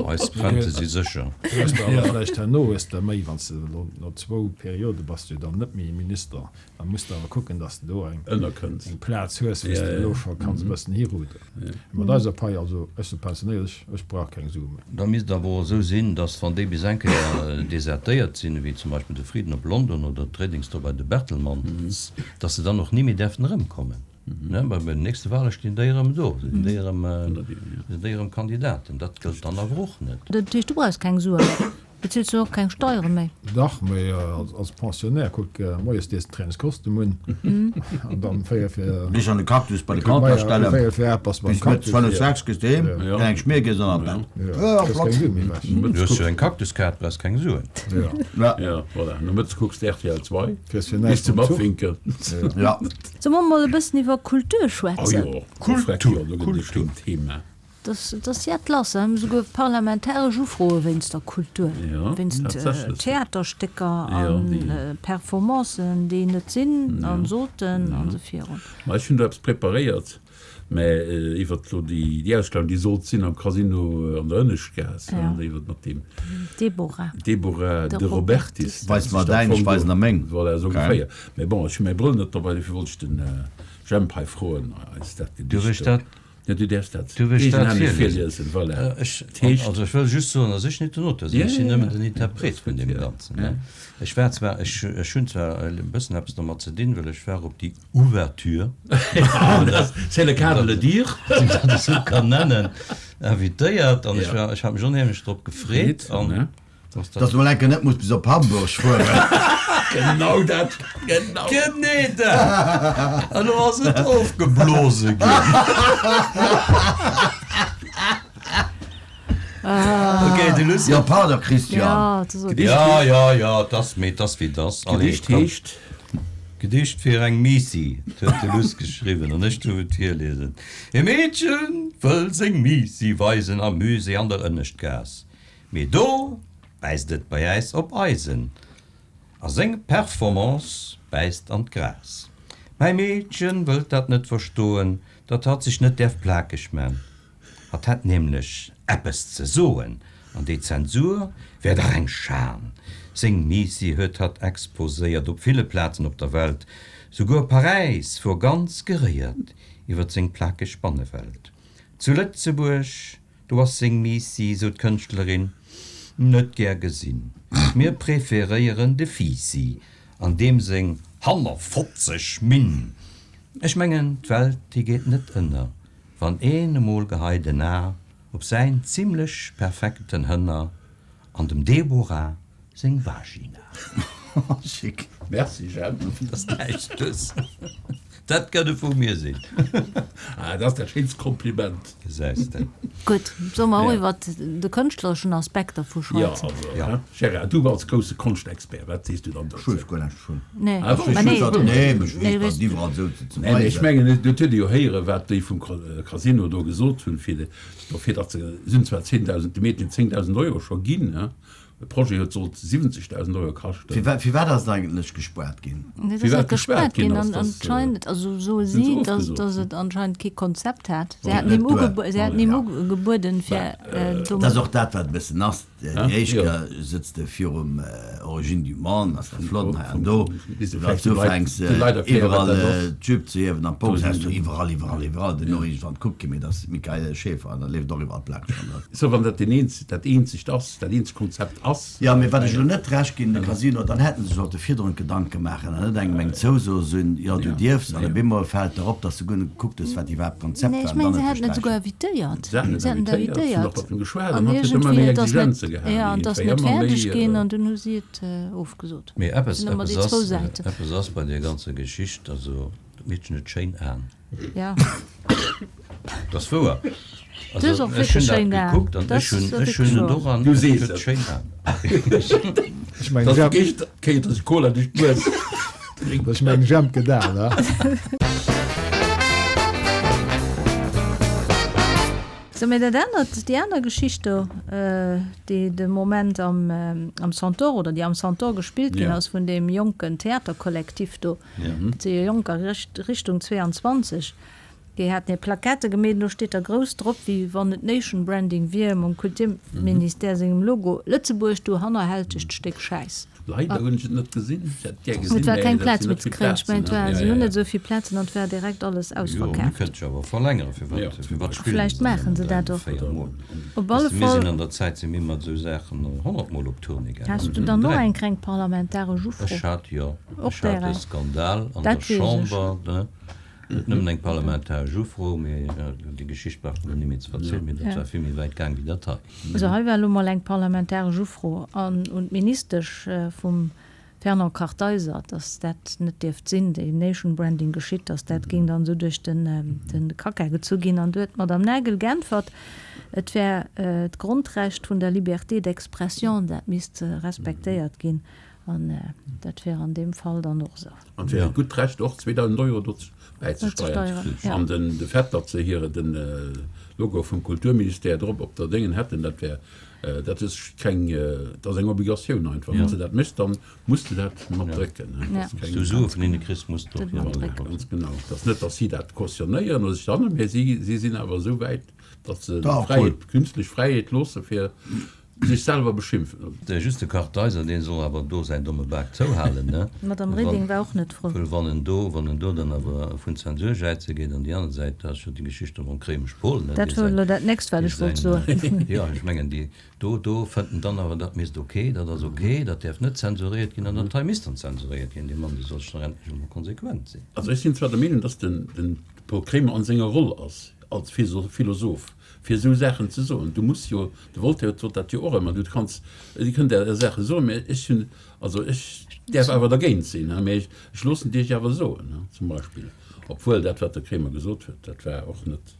Eis Rente si sécher. Du hues der awer vläicht herno hues de méi, wann s de elo no zwou Periode bass de jo dann net méi Minister. Da muss de awer kucken, dass de do eng Plaz hues, wou s de elo scho kanns e bëssen hiruderen. Mat eiser Pai, also ech sinn pensionéiert, ech, ech brauch keng Sue méi. Da misst et awer och esou sinn, dass wann déi bis eng Kéier desertéiert sinn, wéi zum Beispill de Frieden op London oder d'Redings do bei de Bertelmanns, dass se dann och ni méi däerften erëmkommen. Well bei den nächste Wahle stinn déi erëm do, sinn déi erëm, sinn déi erëm Kandidaten. Dat gëllt dann awer och net. Dat heescht, du brauchs keng Sue méi? Bezills du och keng Steiere méi? Dach, mee als Pensionnaire, kuck, moies dees de Trainingskostüm un an dann 4 fir. Dech an de Cactus bei de Comptoir stellen, 4 fir 8 bass de beim bis mëttes Cactus. 5, 6 gees de heem, dann eng Schmier gees an an d'Bett. Jo, kriss keng Sue méi ewech. Du hues jo eng Cactuskaart, brauchs keng Suen. Jo, voilà, nomëttes kucks de rtl 2 Kriss fir bis näischt zum mam Zuch. Abwinken. Ja. Solle mer mol e bëssen iwwer Kultur schwätzen? Oh jo, Kultur, Kultur, Thema. Dat ass jett lass, hei hu mer souguer parlamentaresch Ufroe wéinst der Kultur, wéinst Theaterstécker a Performancen, déi net sinn a sollten an esou virun. Ma ech hunn do eppes preparéiert, mä iwwert elo déi Ausstellung, déi sollt sinn am Casino an der Ënneschtgaass, iwwert mat deem Deborah. Deborah De Robertis. Weis mer däin, ech weisen der meng. Voilà, esou ongeféier. Mä bon, ech hu mäi Brëll net dobäi, dofir wollt ech den Jemp hei froen, eis dat Gedicht do. Ja, du däerfs dat Du wëlls dat eegenhänneg virliesen. virliesen, voilà. Ech, Dat heescht. also ech wëll just soen, datt ech net den Auteur sinn, Ja, ech sinn ja, nëmmen ja. den Interpret vun deem Ganzen, ne. Ech war zwar, ech, ech hunn zwar e bëssen eppes domat ze dinn, well ech war op déi Ouverture, Ah, dat, c'est le cas de le dire. wann een dat esou kann nennen, invitéiert an ech Ja. war, ech hat mech onheemlech drop gefreet an Ne? Dass mol enke net muss bis op Hamburg fueren. Genau dat, genau. Genee dat! An elo ass et ofgeblose ginn. Ok, de Lucien. Jo, pardon, Christian. Ja, ja, ja, 't ass, mee 't ass wéi 't ass. Allez, D'Gedicht komm. heescht. Gedicht fir eng Miissi, 't huet de Luss geschriwwen an ech duerf et virliesen. E Meedche wëll seng Miissi weisen am Musée an der Ënneschtgaass. Mee do bäisst et bei äis op Eisen a seng Performance bäisst an d'Gras. Mäi Meedchen wëllt dat net verstoen, datt hatt sech net däerf plakeg man. Hatt hätt nämlech eppes ze soen an déi Zensur wär dach eng Schan. Seng Miissi huet hatt exposéiert op ville Plazen op der Welt, souguer Paräis wor ganz geréiert iwwert seng plakeg Bannewelt. Zu Lëtzebuerg Do ass seng Miissi, sou d'Kënschtlerin, net gär gesinn. Mir preferéieren de Fiissi an deem seng hannerfotzeg Minn. Ech mengen, d'Welt, déi geet net ënner, wann een emol geheit en A op säin zimlech perfekten Hënner an dem Deborah Seng Vagina. Chic. Merci Jemp. Dat ass näischt dues. Dat gëtt e vu mir sinn. Ah, dat ass dat schéinst Kompliment. Gesäis de. Gutt, solle mer och iwwert de kënschtlereschen Aspekt dervu schwätzen? Jo, also, Gérard, du als grousse Konschtexpert, wat sees du dann Ech dozou? weess guer näischt dovun. Nee, Ah bon? ma nee, Nee, mech nee, weess dat iwwerall esou ze ze Nee, mee ech weisen. mengen, et huet ee jo héieren, wat déi vum Casino do gesot hunn, fir dofir, datt se, se hunn zwar 10.000, de Meedchen 10.000 Euro scho ginn, he, De Projet huet sollt 70.000 Euro kaschten. Firwat ass et eigentlech gespaart ginn? Et ass net gespaart ginn. Anscheinend, also soe si, datt et anscheinend kee Konzept hat. Si haten him ugebueden, fir do. Dat ass och dat, wat e bëssen ass. Déi éischt Kéier sëtz de virum Origine du monde, ass dat flott hei an do. Wann s du ufänks iwwerall d'Jupe ze hiewen an d'Box, häss du iwwerall, iwwerall, iwwerall duerno iergendwann kuckt kee méi, et ass Michael Schaefer an da leeft och iwwerall d'Plakeg ronderëm. Sou, wann dat dat eenzegt ass. Dat eenzegt Konzept ass. Jo, mee wat ech elo net recht ginn, de Casino, dann hätte se sollte virdrun Gedanke maachen an net engem eng Zouso soen, jo du dierfs, an op eemol fält der op, dass du guer net gekuckt hues, wat iwwerhaapt d'Konzept Nee, war ech an mengen, dann se et hätten et souguer besträichen. invitéiert. Se haten Se et haten et invitéiert, se hunn och invitéiert. mat em geschwat An an hatt huet ëmmer iergendwéi, méi et ass net, Exigenze. ze gehaen. Jo, an et ass net fäerdeg ginn an dunn hu si et ofgesot. Mee eppes, eppes ass, eppes ass bei där ganzer Geschicht, also dat Meedchen huet schéin Aen. Ja. Dat ass wouer. Also ech hunn dat gekuckt an ech hunn, ech hunn doran, Du sees et. Schéin Aen. Ech mengen, Dat ass déi éischt Kéier, datt ech Cola duerch d'Nues drénken. Ech mengen, Jemp gedaan, he? Sou, mee dat anert, déi aner Geschicht do, déi de Moment am, am Centaure oder déi am Centaure gespillt ginn ass vun deem jonken Theaterkollektiv do, dat si jo Jonker Richtung 22, déi haten hir Plaquettë gemeet an do steet da grouss drop, wéi wann et Nation Branding wier, mam Kulturministère sengem Logo, Lëtzebuerg, du hannerhältegt Stéck Schäiss. Leider hunn ech et net gesinn. Ech hätt et gär gesinn, Et war mä keng dat Plaz sinn méi net ze vill kréien. Ech Plazen, mengen, et ne? war, Ja, si ja, hunn ja. net esou vill Plazen an et war direkt alles Jo, mir ausverkaaft. kënnte jo awer verlängeren. Firwat, Ja, zum firwat Beispill. spillen Vläicht se dann maachen nëmmen se dräi dat oder och. véier Mol? Op alle Weess de, mir Fall. sinn an der Zäit si mir mat esou Saachen 100 Mol op Tournée gaangen. Has du Nëmmen dann och dräi eng Mol. kleng parlamentaresch Ufro? Ech hat, jo, Och ech hat där e eng. Skandal an der Dat weess ech. Chamber, ne? Net nëmmen eng parlamentaresch Ufro, mee déi Geschicht brauch mer net méi ze verzielen, mee dat war vill méi wäit gaang wéi dat hei. Also hei war elo mol eng parlamentaresch Ufro an un d'Ministesch vum Fernand Kartheiser, datt dat net dierft sinn, déi Nation Branding geschitt, datt dat géing dann esou duerch de Kacka gezu ginn. An du huet d'Madame Nagel geäntwert, et wär d'Grondrecht vun der Liberté d'expression, dat misst respektéiert ginn. An dat wär an deem Fall dann och esou. An et wär hiert gutt Recht och 2.000 Euro dozou bäizesteieren. An de Fait, datt se hire de Logo vum Kulturministère drop op der Déngen hätten, dat wär, dat ass keng, dat ass eng Obligatioun einfach. Wann s de dat méchs, da muss de dat mat drécken. Wann s du Sue vun hinne kriss, muss de och hir Logo drécken. Ganz genau. Et ass net, datt si dat cautionnéieren oder sech dann, mä si sinn awer esou wäit, datt se d'Fräiheet, d'künstlech Fräiheet loosse fir Sech selwer beschimpfen. De just de Kartheiser, deen soll awer do säin domme Bak zouhalen, ne? D'Madame Reding war och net frou. Wëll wann en do, wann en do dann awer vun Zensur jäize geet, an déi aner Säit, da ass jo déi Geschicht do mam Kréimesch Pol, ne? Dat wor elo dat nächst, wat ech wollt soen. Jo, ech mengen, déi do, do fënnt en dann awer, dat misst ok, dat ass ok, dat däerf net zensuréiert ginn, an dat hei misst dann zensuréiert ginn. Dee Mann, dee soll sech dach endlech emol konsequent sinn. Also ech sinn zwar der Meenung, dass den, den Paul Kremer an senger Roll ass als Philosoph, fir esou Saachen ze soen. Du muss jo, de Voltaire sot dat jo och ëmmer, du kanns, Dir kënnt Är Saache soen, mä ech hunn, also ech däerf awer dergéint sinn, mä ech loossen et Iech awer soen, zum Beispill. Obwuel dat, wat de Kremer gesot huet, dat war och net,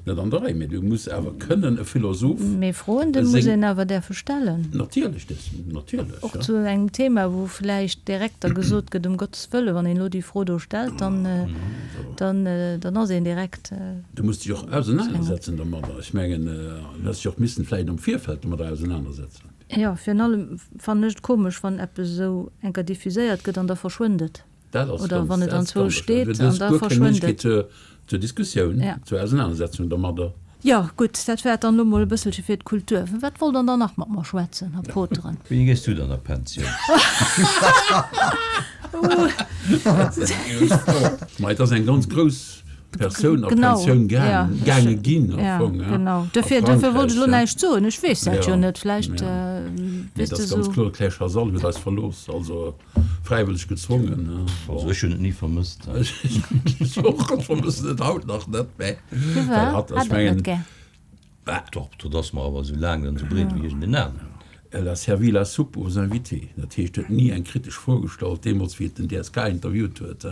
net an der Rei. Mä du muss awer kënnen e Philosoph Mee Froen, déi muss een awer däerfe stellen. Natierlech, dës, natierlech, Och zu engem Thema, wou vläicht direkt da gesot gëtt, um Gottes Wëlle, wann een elo déi Fro do stellt, dann, dann, dann ass een direkt. Du muss dech och ausenanersetzen domadder. Ech mengen, du häss dech och missen vläicht am Virfeld domadder ausenanersetzen. Jo, virun allem fannen ech et komesch, wann eppes esou enker diffuséiert gëtt an da verschwënnt et. Dat ass Oder ganz, wann et dat ass anzwousch ganz steet Du an hues da guer keng verschwënnt Méiglechkeet et. zur, zur Diskussioun, Ja. zur Ausenanersetzung domadder. Jo, gutt, dat war et dann elo mol e bësselche fir d'Kultur. Wat wollt Der dann nach mat mer schwätzen, Här Poteren? Wéini gees du dann a Pensioun? Ma et ass eng ganz grouss Persoun a Genau, Pensioun ja, gaang, gaange ginn am ja, Fong, ja, genau. a Dofir, dofir wollt ech elo Frankräich, ja. näischt soen. Ech weess dat jo Ja, net. Vläicht ja. Nee, weess et de ass ganz esou. kloer, d'Claire Chazal huet eis verlooss, also. Fräiwëlleg gezwongen, ne? Also ech hunn et ni vermësst. Ech och, ech vermëssen et haut nach net, mä well hatt, ech mengen. Doch, dat ass mer awer esou laang an esou breet wéi iergend en aneren. Elle a servi la soupe aux invités. Dat heescht, huet ni eng kritesch Fro gestallt, deemools wéi et den DSK interviewt huet.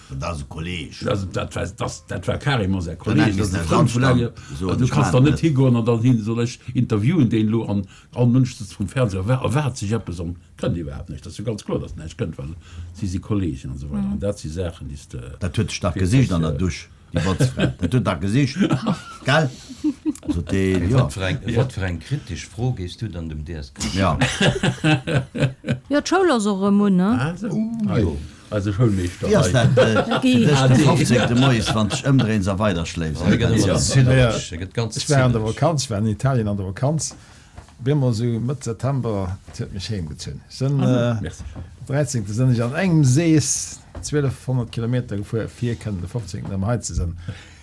Dat ass e Kolleg. Dat war, dat war carrément säi Kolleg, dat ass e Frënd vun engem. Du kanns dann net higoen an dann hin, soll ech interviewen deen elo an all Mënsch sëtzt vrum Fernseher, erwaart sech eppes an Kënnt iwwerhaapt näischt. Dat ass jo ganz kloer, datt näischt kënnt, well si si Kolleegen an esou weider. An dat si Saachen, déi s de. Dat huet sech dach gesicht an der Dusch, déi Botzfra. Dat huet dach gesicht, gell? Sot dee, jo. Wat fir eng, wat fir eng kritesch Fro géifs du dann dem DSK stellen? Jo, d'Schoul ass och erëm un, ne? Ah esou, hei, eise Schoulmeeschter Wéi ass hei. dat fir dech de 15. Moies, wann s dech ëmdréins a weiderschléifs? Hie gëtt ëmmer ziddereg, hie gëtt ganz Ech war an der ziddereg. Vakanz, ech war an Italien an der Vakanz. Bemol sou Mëtt September, et huet mech heem gezunn. Ech sënn 13. Sënn ech an engem Sees 1200 Kilometer gefuer fir kënnen de 15. Erëm hei ze sënn,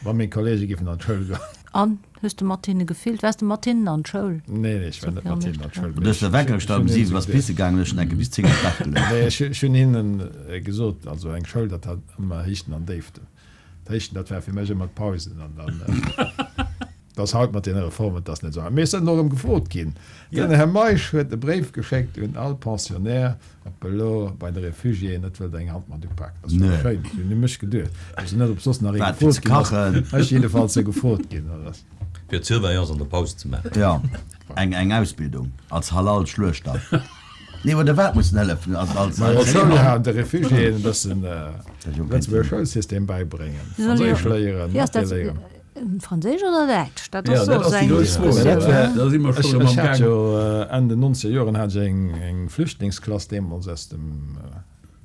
wa meng Kollege giffen an d'Schoul goen. An, hues de mat hinne gefillt? Waars de mat hinnen an d'Schoul? Nee, nee, ech war net mat hinnen an d'Schoul. Du hues de Wecker gestallt um 7, bass pisse gaangen, hues schon enke bis 10 am Bett geluecht. Nee, ech hunn hinnen gesot, also eng Schoul, dat hat ëmmer Héichten an Déiften. D'Héichten, dat war fir mech ëmmer d'Pausen an dann. Dass haut mat deene Reformen, dass net esou. Mee ech sinn och erëm gefrot ginn. Den Här Meisch huet e Bréif geschéckt un all Pensionnaire, ob elo bei de Refugiéen net wëllt eng Hand mat upaken. Dat ass jo schéin. Ech hunn u mech geduecht. Ech weess net, ob soss nach ee gefrot ginn ass. Ech jiddefalls si gefrot ginn. Fir d'Surveillance an der Paus ze maachen. Jo, eng Ausbildung als Halal-Schluechter. Nee, oder wat mussen hëllefen? Als, als, als Schoul de Refugiéen e bëssen Lëtzebuerger Schoulsystem bäibréngen. Franséisch léieren, Mathé léieren. Franséisch oder Däitsch? Dat ass och esou eng Diskussioun. Ech hat jo Enn den nonzeger Joren hat ech eng Flüchtlingsklass deemools aus dem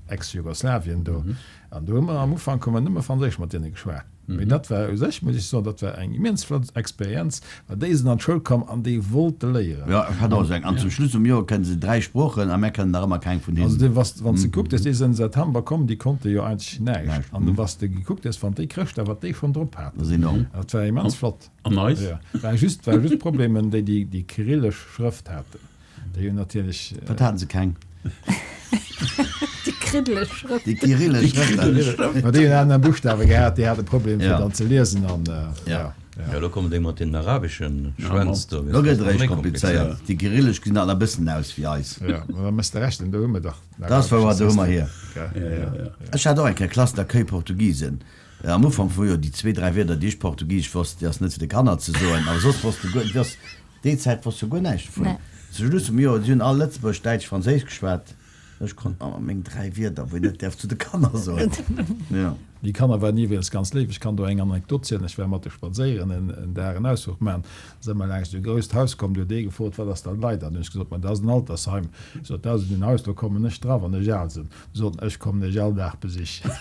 Ex-Jugoslawien do. An do hu mer am Ufank hu mer nëmme Franséisch mat deene geschwat. Mee dat war u sech, muss ech soen, dat war eng immens flott Experienz, well déi sinn an d'Schoul komm an déi wollte léieren. Jo, ech hat och esou eng. An zum Schluss vum Joer kënne se 3 Sproochen a mär kënnen nach ëmmer keng vun hinnen. Also du, wann s de gekuckt hues, déi sinn am September komm, déi konnte jo eigentlech näischt. An du, wann s de gekuckt hues, wann déi Chrëschtdag, wat déi schonn drop haten, Dat ass enorm. dat war immens flott. An eis? Jo, war just, war just Problemen, déi déi déi kyrillesch Schrëft haten. Déi hunn natierlech. Wat haten se keng? Déi kriddeleg Schrëft. Déi kyrillesch Schrëft. Ma déi hunn aner Buschtawe gehat, déi hate Problem fir dann ze liesen an jo. Jo, elo kommen déi mat deenen arabeschen Schwänz do. Elo gëtt et eréischt komplizéiert. Déi kyrillesch gesinn alt nach e bëssen aus wéi eis. Jo, ma da mëss de rechnen, do hu mer dach. Dat ass wouer, do hu mer hier. Ech hat och eng Kéier Classe d'accueil Portugisen. Am Ufank wor jo déi zwee, dräi Wierder, déi ech portugisesch wosst, déi ass net fir de Kanner ze soen, awer soss wosst de guer, déi ass Déi Zäit wosst jo guer näischt dovun. Zu Schluss vum Joer, si hunn all Lëtzebuergesch, Däitsch, Franséisch geschwat. Ech konnt mat meng 3 Wierder, wou een net däerf zu de Kanner soen. Jo. Déi Kanner waren iwwregens ganz léif. Ech kann do eng Anekdot zielen. Ech war mat de spadséieren en Dag en Ausfluch maachen. Da si mer laanscht e grousst Haus komm. Do huet ee gefrot, Wat ass dat lei? Dann hunn ech gesot, Ma dat ass en Altersheim. Sot, Dat ass en Haus, do kommen ech dra, wann ech al sinn. Sot en, Ech kommen iech all Dag besichen.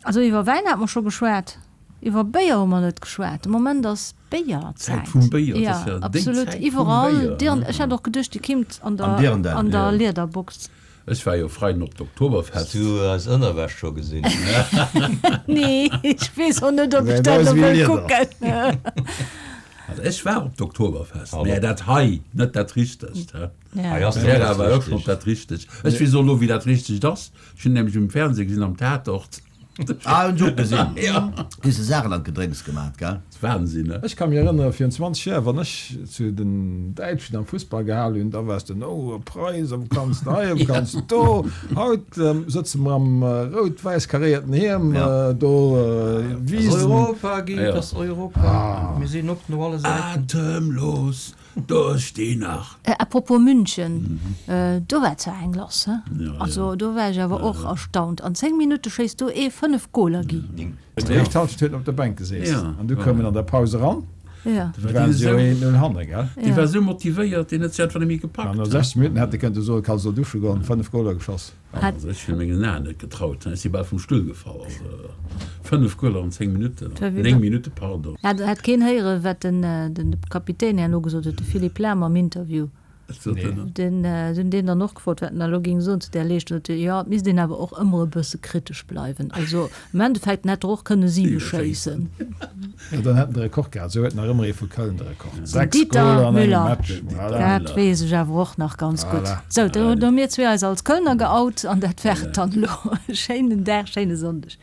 Also iwwer Wäin hate mer scho geschwat. Iwwer Béier hu mer net geschwat. De Moment ass Béierzäit. Zäit vum Béier, dat ass ja déi Zäit vum Iwwerall. Béier. Ech hat och geduecht, déi kimmt an der, an der Liederbox. Ech war jo Freiden op d'Oktoberfest. Has du eis Ënnerwäsch scho gesinn? Nee, ech weess och net, ob ech dat elo wëll kucken. Also ech war op d'Oktoberfest, mä dat hei, net dat richtegt. Hei ass dat dat war och schonn dat richtegt. Ech weess och elo, wéi dat richtegt ass. Ech hunn nämlech um Fernseh gesinn, am Tatort. Ah, hunn ech och gesinn. Hues de Saarland Gedrénks gemat, gell? Wahnsinn, ne? Ech ka mir erënnere virun 20 Joer, wann ech zu den Däitschen am Fussball gehal hunn, da waars de, oh, e Preis, a wou kanns de hei, a wou kanns de do. Haut sëtze mer am rout-wäiss karéierten Hiem do, Wisen. Ass Europa, Guy, et ass Europa. Mir sinn op no alle Säiten. Atemlos Duerch déi Nacht. À propos München, do war zwar eng lass, he? Also do war ech awer och erstaunt. An 10 Minutte schéisst do ee 5 Goler, Guy. Déi éischt Halschent huet en op der Bänk geseess an du koum en an der Paus eran. Du waren se jo 1-0 hanne, gell? Dee war esou motivéiert, deen huet sech einfach net méi gepackt. An no 60 Minutten hätt e kënnte soen, Kann se dusche goen, 5 Goler geschoss. Also ech hunn mengen Aen net getraut, ech si bal vum Stull gefall. Also 5 Goaler an 10 Minutten, 9 Minutten, pardon. Hat keen héieren, wat den Kapitän herno gesot huet, de Philippe Lahm am Interview? Wat sot en dann? Den, se hunn deen dann och gefrot, wat en da elo géing soen zu där Leeschtung. Sot e, jo, et misst een awer och ëmmer e bësse kritesch bleiwen. Also am Endeffekt, en hätt der och kënne 7 schéissen. Jo, dann hätt en de Rekord gehat. Esou huet nach ëmmer ee vu Köln de Rekord. Den 6 Dieter Goler an engem Müller, Match. Voilà. Dat weess ech awer och nach ganz gutt. Voilà. Sou, do hu mir zwee eis als Kölner geout an dat war et dann elo. Schéinen Dag, schéine Sonndeg.